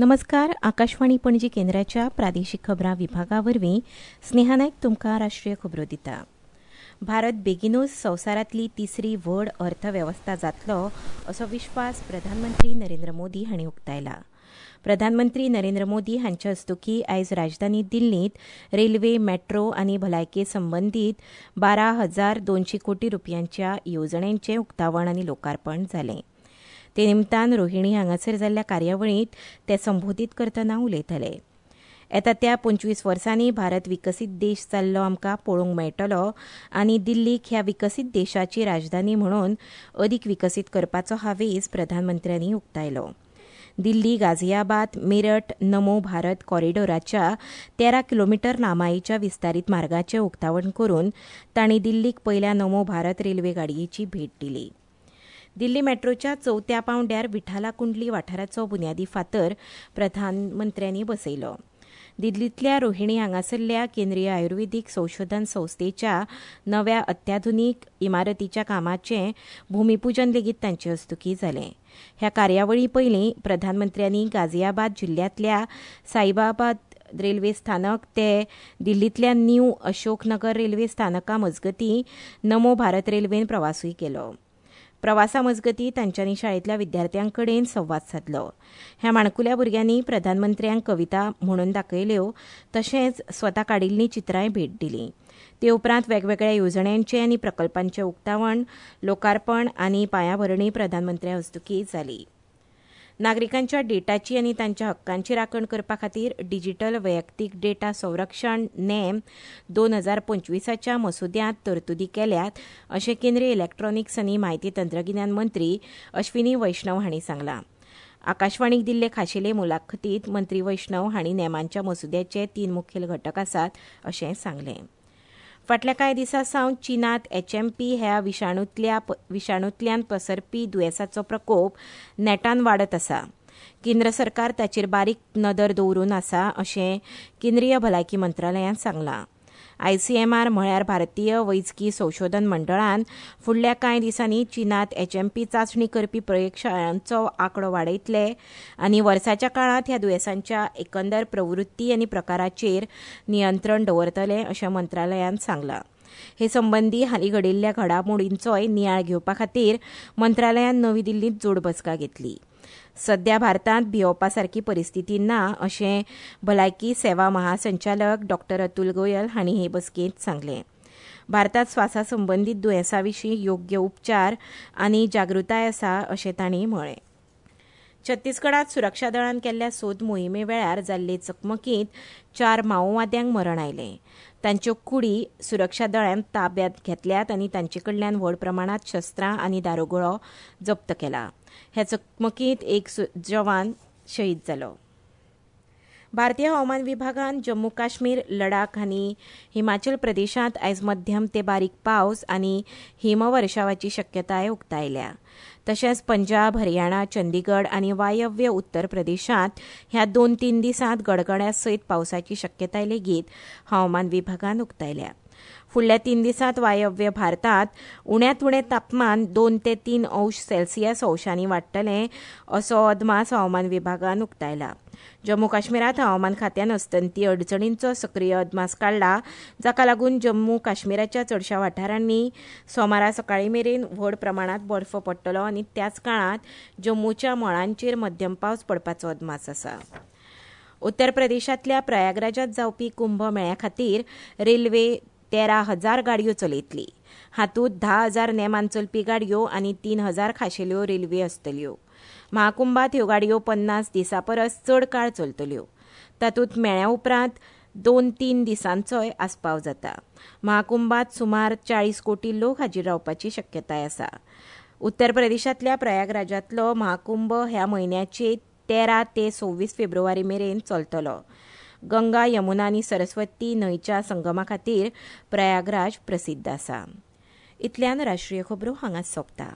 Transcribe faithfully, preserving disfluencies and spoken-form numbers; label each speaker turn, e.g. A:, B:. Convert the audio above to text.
A: नमस्कार. आकाशवाणी पणजी केंद्राच्या प्रादेशिक खबरां विभागा वरवीं स्नेहा नायक तुमकां राष्ट्रीय खबरो दिता. भारत बेगिनूच संवसारांतली तिसरी व्हड अर्थवेवस्था जातलो असो विश्वास प्रधानमंत्री नरेंद्र मोदी हांणी उक्तायला. प्रधानमंत्री नरेंद्र मोदी हांचे हस्तुकीं आयज राजधानी दिल्लींत रेल्वे, मेट्रो आनी भलायके संबंदीत बारा हजार दोनशे कोटी रुपयांच्या येवजण्यांचें उक्तावण आनी लोकार्पण जालें. ते निमतान रोहिणी हांगासर जाल्ल्या कार्यावळींत ते संबोधीत करतना उलयताले. येता त्या पंचवीस वर्सांनी भारत विकसीत देश जाल्लो आमकां पळोवंक मेळटलो आनी दिल्लीक ह्या विकसीत देशाची राजधानी म्हणून अदीक विकसीत करपाचो हावेस प्रधानमंत्र्यांनी उक्तायलो. दिल्ली, गाझियाबाद, मेरठ, नमो भारत कॉरिडोराच्या तेरा किलोमिटर लांबायेच्या विस्तारीत मार्गाचें उक्तावण करून तांणी दिल्लीक पयल्या नमो भारत रेल्वे गाडयेची भेट दिली. दिल्ली मेट्रोच्या चवथ्या पांवड्यार विठाला कुंडली वाठाराचो बुन्यादी फातर प्रधानमंत्र्यांनी बसयलो. दिल्लींतल्या रोहिणी हांगासरल्या केंद्रीय आयुर्वेदीक संशोधन संस्थेच्या नव्या अत्याधुनीक इमारतीच्या कामाचें भूमिपूजन लेगीत तांचे हस्तुकीं जालें. ह्या कार्यावळी पयलीं प्रधानमंत्र्यांनी गाझियाबाद जिल्ल्यांतल्या साहिबाबाद रेल्वे स्थानक ते दिल्लींतल्या न्यू अशोकनगर रेल्वे स्थानका मजगतीं नमो भारत रेल्वेन प्रवासूय केलो. प्रवासा मजगतीं तांच्यांनी शाळेंतल्या विद्यार्थ्यां कडेन संवाद सादलो. ह्या माणकुल्या भुरग्यांनी प्रधानमंत्र्यांक कविता म्हणून दाखयल्यो तशेंच स्वता काडिल्लीं चित्रांय भेट दिली. ते उपरांत वेगवेगळ्या येवजण्यांचें आनी प्रकल्पांचें उक्तावण, लोकार्पण आनी पांयाभरणी प्रधानमंत्र्या हस्तुकीं जाली. नागरिकांच्या डेटाची आनी तांच्या हक्कांची राखण करपा खातीर डिजिटल वैयक्तीक डेटा संरक्षण नेम दोन हजार पंचवीसाच्या मसुद्यांत तरतुदी केल्यात अशें केंद्रीय इलेक्ट्रॉनिक्स आनी म्हायती तंत्रगिन्यान मंत्री अश्विनी वैष्णव हांणी सांगलां. आकाशवाणीक दिल्ले खाशेले मुलाखतींत मंत्री वैष्णव हांणी नेमांच्या मसुद्याचे तीन मुखेल घटक आसात अशें सांगलें. फाटल्या कांय दिसां सावन चीनांत एचएमपी ह्या विशाणूंतल्या विशाणूंतल्यान पसरपी दुयेंसाचो प्रकोप नेटान वाडत आसा. केंद्र सरकार ताचेर बारीक नदर दवरून आसा अशें केंद्रीय भलायकी मंत्रालयान सांगलां. आयसीएमआर म्हळ्यार भारतीय वैजकी संशोधन मंडळान फुडल्या कांय दिसांनी चीनांत एचएमपी चांचणी करपी प्रयोगशाळांचो आंकडो वाडयतले आनी वर्साच्या काळांत ह्या दुयेंसांच्या एकंदर प्रवृत्ती आनी प्रकाराचेर नियंत्रण दवरतले अशें मंत्रालयान सांगलां. हे संबंदी हालीं घडिल्ल्या घडामोडींचोय नियाळ घेवपा खातीर मंत्रालयान नवी दिल्लींत जोड बसका घेतली. सध्या भारतांत भियोवपा सारकी परिस्थिती ना अशें भलायकी सेवा महासंचालक डॉक्टर अतुल गोयल हांणी हे बसकेंत सांगलें. भारतांत स्वासा संबंदीत दुयेंसां विशीं योग्य उपचार आनी जागृताय आसा अशें तांणी म्हळें. छत्तीसगडांत सुरक्षा दळान केल्ल्या सोद मोहिमे वेळार जाल्ले चकमकींत चार माओवाद्यांक मरण आयलें. तांच्यो कुडी सुरक्षा दळान ताब्यांत घेतल्यात आनी तांचे कडल्यान व्हड प्रमाणांत शस्त्रां आनी दारुगोळो जप्त केला. ह्या चकमकींत एक जवान शहीद जालो. भारतीय हवामान विभागान जम्मू काश्मीर, लडाख आनी हिमाचल प्रदेशांत आयज मध्यम ते बारीक पावस आनी हिमवर्षावाची शक्यताय उक्तायल्या. तशेंच पंजाब, हरियाणा, चंदीगड आनी वायव्य उत्तर प्रदेशांत ह्या दोन तीन दिसांत गडगड्या सयत पावसाची शक्यताय लेगीत हवामान विभागान उक्तायल्या. फुडल्या तीन दिसांत वायव्य भारतांत उण्यांत उणें तापमान दोन ते तीन अंश सेल्सियस अंशांनी वाडटलें असो अदमास हवामान विभागान उक्तायला. जम्मू काश्मीरांत हवामान खात्यान अस्तंती अडचणींचो सक्रीय अदमास काडला, जाका लागून जम्मू काश्मीराच्या चडशा वाठारांनी सोमारा सकाळीं मेरेन व्हड प्रमाणांत बर्फ पडटलो आनी त्याच काळांत जम्मूच्या मळांचेर मध्यम पावस पडपाचो अदमास आसा. उत्तर प्रदेशांतल्या प्रयागराजांत जावपी कुंभ मेळ्या खातीर रेल्वे तेरा हजार गाडयो चलयतली. हातूंत धा हजार नेमान चलपी गाडयो आनी तीन हजार खाशेल्यो रेल्वे आसतल्यो. महाकुंभात ह्यो गाडयो पन्नास दिसां परस चड काळ चलतल्यो. तातूंत मेळ्या उपरांत दोन तीन दिसांचोय आस्पाव जाता. महाकुंभात सुमार चाळीस कोटी लोक हाजीर रावपाची शक्यताय आसा. उत्तर प्रदेशांतल्या प्रयागराजांतलो महाकुंभ ह्या म्हयन्याचे तेरा ते सव्वीस फेब्रुवारी मेरेन चलतलो. गंगा, यमुना आनी सरस्वती न्हंयच्या संगमा खातीर प्रयागराज प्रसिद्ध आसा. इतल्यान राष्ट्रीय खबरो हांगाच सोंपता.